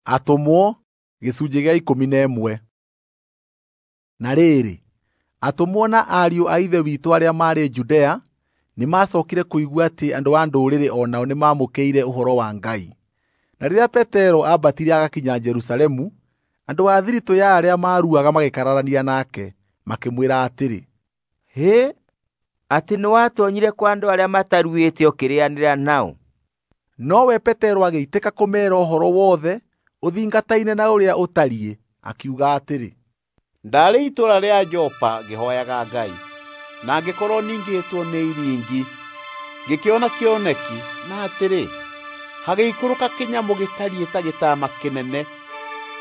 Atũmwo 11. Na rĩrĩ, atũmwo na ariũ a Ithe witũ arĩa maarĩ Judea nĩmacookire kũigua atĩ andũ a Ndũrĩrĩ o nao nĩmamũkĩire ũhoro wa Ngai. Na rĩrĩa Petero aambatire agakinya Jerusalemu, andũ a thiritũ ya arĩa maaruaga magĩkararania nake, makĩmwĩra atĩrĩ, "Hĩ, atĩ nĩwatoonyire kwa andũ arĩa mataruĩte ũkĩrĩĩanĩra nao?" Nowe Petero agĩitĩka kũmeera ũhoro wothe ũthingataine na ũrĩa ũtariĩ, akiuga atĩrĩ, "Ndaarĩ itũũra rĩa Jopa ngĩhooyaga Ngai, na ngĩkorwo ningĩtwo nĩ iringi. Ngĩkĩona kĩoneki, na atĩrĩ, hagĩikũrũka kĩnyamũ gĩtariĩ ta gĩtama kĩnene,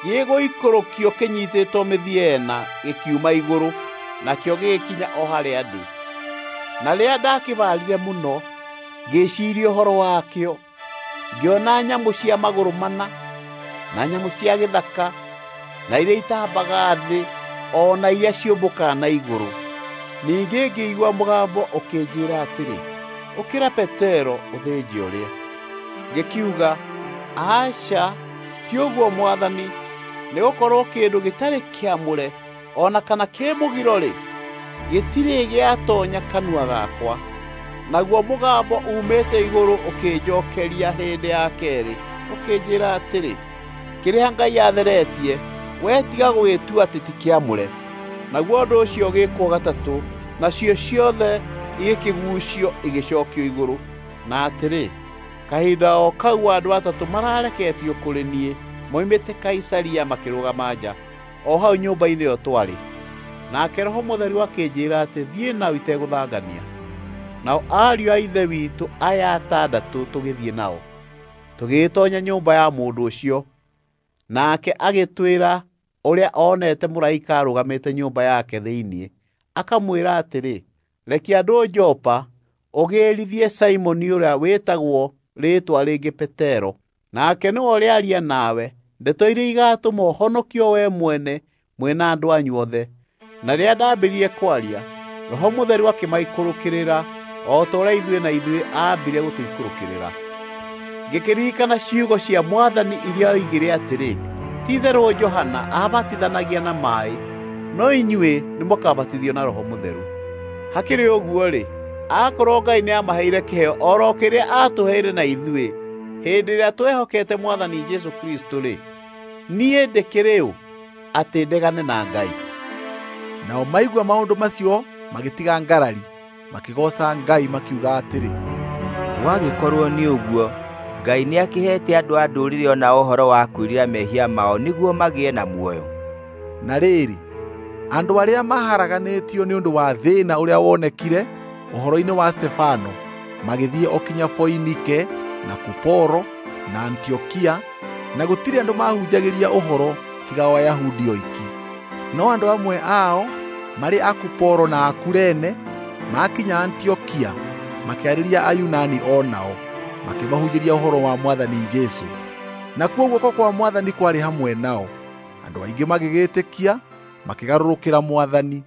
gĩgũikũrũkio kĩnyiitĩtwo mĩthia ĩna gĩkiuma igũrũ, nakĩo gĩgĩkinya o harĩa ndĩ. Na rĩrĩa ndakĩbarire mũno, ngĩĩciiria ũhoro wakĩo, ngĩona nyamũ cia magũrũ mana, na nyamũ cia gĩthaka, na iria itambaga thĩ, o na iria ciũmbũkaga na igũrũ. Ningĩ ngĩigua mũgambo ũkĩnjĩĩra atĩrĩ, ‘Ũkĩra Petero, ũthĩnje ũrĩe.’ Ngĩkiuga, ‘Aca, ti ũguo Mwathani, nĩgũkorwo kĩndũ gĩtarĩ kĩamũre o na kana kĩ mũgiro-rĩ, gĩtirĩ gĩatoonya kanua gakwa.’ Naguo mũgambo uumĩte igũrũ ũkĩnjookeria hĩndĩ ya keerĩ, ũkĩnjĩĩra atĩrĩ, ‘Kĩrĩa Ngai atheretie, wee tiga gũgĩtua atĩ ti kĩamũre.’ Naguo ũndũ ũcio ũgĩĩkwo gatatũ, nacio ciothe igĩkĩguucio igĩcookio igũrũ. Na atĩrĩ, kahinda o kau andũ atatũ marareketio kũrĩ niĩ moimĩte Kaisaria makĩrũgama nja, o hau nyũmba-inĩ ĩyo twarĩ. Nake Roho Mũtheru akĩnjĩĩra atĩ thiĩ nao itegũthangania. Nao ariũ a Ithe witũ aya atandatũ tũgĩthiĩ nao, tũgĩgĩtoonya nyũmba ya mũndũ ũcio. Nake agĩtwĩra ũrĩa onete mũraika arũgamĩte nyũmba yake thĩinĩ, akamwĩra atĩrĩ, ‘Rekia andũ Jopa ũgĩrithie Simoni ũrĩa wĩtagwo rĩĩtwa rĩngĩ Petero. Nake nĩwe ũrĩaria nawe ndeto iria igaatũma ũhonokio wee mwene mwĩ na andũ anyu othe.’ Na rĩrĩa ndaambĩrĩirie kwaria, Roho Mũtheru akĩmaikũrũkĩrĩra o ta ũrĩa ithuĩ na ithuĩ aambire gũtũikũrũkĩrĩra. Ngĩkĩririkana ciugo cia Mwathani iria oigire atĩrĩ, ‘Ti-itherũ Johana aabatithanagia na maaĩ, no inyuĩ nĩmũkabatithio na Roho Mũtheru.’ Hakĩrĩ ũguo-rĩ, akorwo Ngai nĩamaheire kĩheo o ro kĩrĩa aatũheire na ithuĩ hĩndĩ ĩrĩa twehokete Mwathani Jesũ Kristũ-rĩ, niĩ ndĩkĩrĩ ũ atĩ ndegane na Ngai?" Nao maigua maũndũ macio magĩtiga ngarari, makĩgooca Ngai makiuga atĩrĩ, "Gwagĩkorwo nĩ ũguo, Ngai nĩakĩheete andũ a Ndũrĩrĩ o nao ũhoro wa kwĩrira mehia mao nĩguo magĩe na muoyo." Na rĩrĩ, andũ arĩa maaharaganĩtio nĩ ũndũ wa thĩĩna ũrĩa wonekire ũhoro-inĩ wa Stefano magĩthiĩ o kinya Foinike na Kuporo na Antiokia, na gũtirĩ andũ maahunjagĩria ũhoro tiga o Ayahudi oiki. No andũ amwe ao marĩ a Kuporo na a Kurene maakinya Antiokia makĩarĩria Ayunani o nao, makĩmahunjĩria ũhoro wa Mwathani Jesũ. Nakuo guoko kwa Mwathani kwarĩ hamwe nao. Andũ aingĩ magĩgĩĩtĩkia, makĩgarũrũkĩra Mwathani.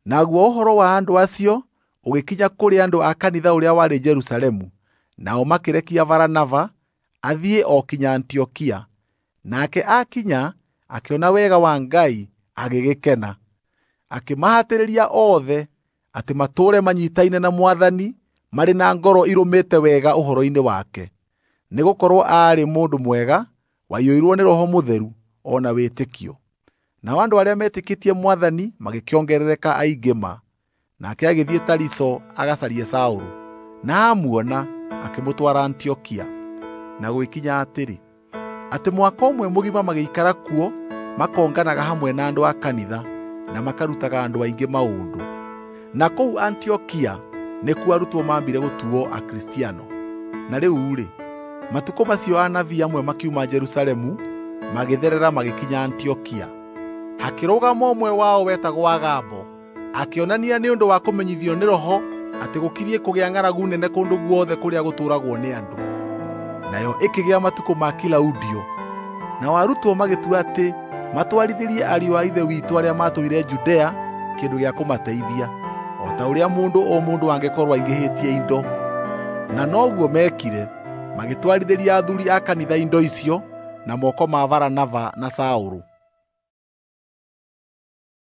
Naguo ũhoro wa andũ acio ũgĩkinya kũrĩ andũ a kanitha ũrĩa warĩ Jerusalemu, nao makĩrekia Baranaba athiĩ o kinya Antiokia. Nake aakinya, akĩona wega wa Ngai, agĩgĩkena. Akĩmahatĩrĩria othe atĩ matũũre manyiitaine na Mwathani marĩ na ngoro irũmĩte wega ũhoro-inĩ wake. Nĩgũkorwo aarĩ mũndũ mwega, waiyũirwo nĩ Roho Mũtheru o na wĩtĩkio. Nao andũ arĩa meetĩkĩtie Mwathani magĩkĩongerereka aingĩ ma. Nake agĩthiĩ Tariso agacarie Saũlũ, na aamuona akĩmũtwara Antiokia. Na gũgĩkinya atĩrĩ, atĩ mwaka ũmwe mũgima magĩikara kuo makonganaga hamwe na andũ a kanitha na makarutaga andũ aingĩ maũndũ. Na kũu Antiokia nĩkuo arutwo maambire gũtuo Akristiano. Na rĩu-rĩ, matukũ macio anabii amwe makiuma Jerusalemu magĩtherera magĩkinya Antiokia. Hakĩrũgama ũmwe wao wetagwo Agabo, akĩonania nĩ ũndũ wa kũmenyithio nĩ Roho atĩ gũkiriĩ kũgĩa ng'aragu nene kũndũ guothe kũrĩa gũtũũragwo nĩ andũ. Nayo ĩkĩgĩa matukũ ma Kilaudio. Nao arutwo magĩtua atĩ matwarithĩrie ariũ a Ithe witũ arĩa maatũire Judea kĩndũ gĩa kũmateithia, o ta ũrĩa mũndũ o mũndũ angĩkorwo aingĩhĩtie indo. Na noguo meekire, magĩtwarithĩria athuuri a kanitha indo icio, na moko ma Baranaba na Saũlũ.